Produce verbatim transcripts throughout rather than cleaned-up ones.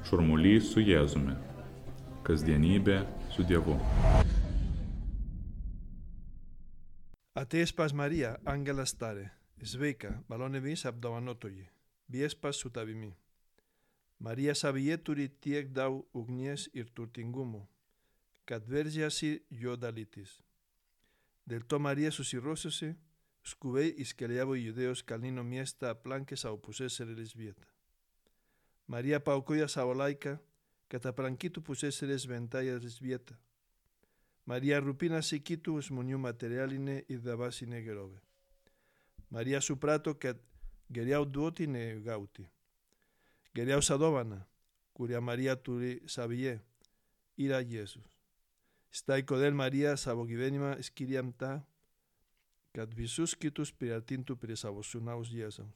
Šurmulys su Jėzumi. Kasdienybė su Dievu. Atėjęs pas Mariją, angelas tarė: Sveika, malonėmis apdovanotoji, viešpats su tavimi. Marija savyje turi tiek daug ugnies ir turtingumo, kad veržiasi jo dalytis. Dėl to Marija susirosiusi, skubiai iškeliavo į Judėjos kalnyno miestą aplankė savo pusseserės vietą. Marija paaukojo savo laiką, kad aplankytų pusseserės šventąją vietą. Marija rūpinasi kitų žmonių materialinę ir dvasinę gerovę. Marija suprato, kad geriau duoti nei gauti. Geriausia dovana, kurią Marija turi savyje, yra Jėzus. Štai kodėl Marija savo gyvenimą skiria tą, kad visus kitus priartintų prie savo sūnaus Jėzaus.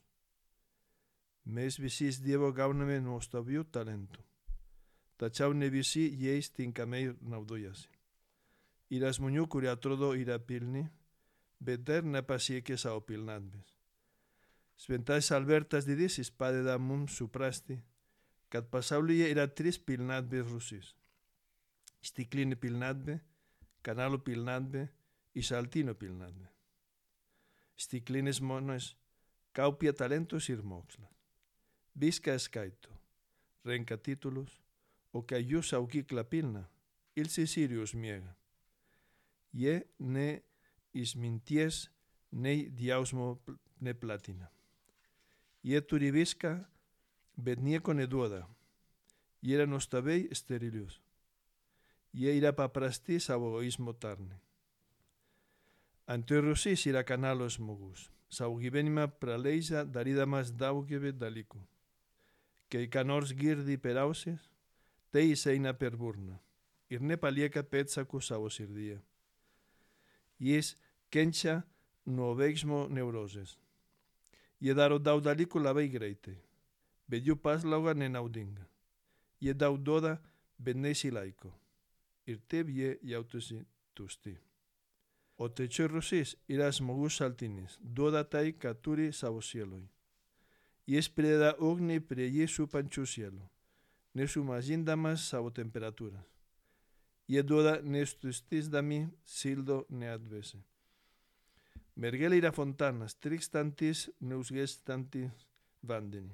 Mes visi iš Dievo gauname nuostabių talentų, tačiau ne visi jais tinkamai naudojasi. Yra žmonių, kurie atrodo yra pilni, bet dar nepasiekė savo pilnatvės. Šventasis Albertas Didysis padeda mums suprasti, kad pasaulyje yra trys pilnatvės rūšys: stiklinė pilnatvė, kanalo pilnatvė ir šaltinio pilnatvė. Stiklinės žmonės kaupia talentus ir mokslą. Viską skaito, renka títulos, o kai jų saugykla pilna, ilsisirijus miega. Jie ne išminties, nei džiaugsmo neplatina. Jie turi viską, bet nieko neduoda. Jie yra nuostabiai sterilius. Jie yra paprasti savo egoizmo tarne. Antroji rūšis yra kanalo žmogus. Savo gyvenimą praleidžia darydamas daugybę dalykų. Kai ką nors girdi per ausis, tai išeina per burną ir nepalieka pėdsakų savo širdyje. Jis kenčia nuo veiksmo neurozės. Jie daro daug dalykų labai greitai, bet jų paslauga nenaudinga. Jie daug duoda, bet nesilaiko. Ir taip jie jaučiasi tušti. O trečioji rūšis yra žmogus šaltinis. Duoda tai, ką turi savo sieloj. Jis prideda ugnį prie jį supančių sielų, nesumažindamas savo temperatūras. Jie duoda nestuštisdami šildo neatvėsę. Mergelė yra fontanas, trykštantis, neužgęstantis vandenį,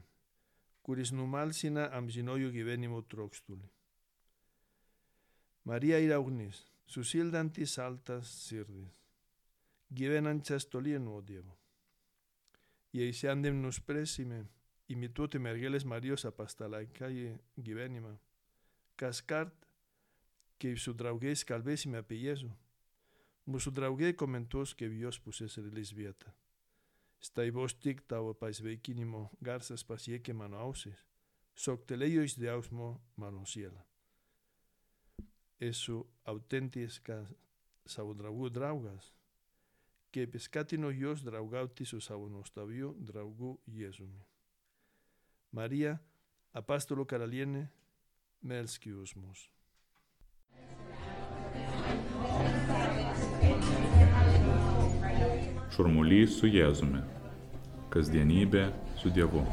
kuris numalsina amžinojo gyvenimo trokštulį. Marija yra ugnis, sušildantis šaltas širdis, gyvenančias toli nuo Dievo. Jei šiandien nuspręsime imituoti mergelės Marijos apaštalaiškąjį gyvenimą, kaskart, kai su draugais kalbėsime apie Jėzų, mūsų draugai komentuos kaip jos pusseserės vietą. Štai vos tik tavo pasveikinimo garsas pasiekė mano ausis, šoktelėjo iš džiaugsmo mano siela. Esu autentiškas savo draugų draugas, kaip skatino juos draugauti su savo nuostabiu draugu Jėzumi. Marija, apaštalo karalienė, melski už mus. Šurmulys su Jėzumi. Kasdienybė su Dievu.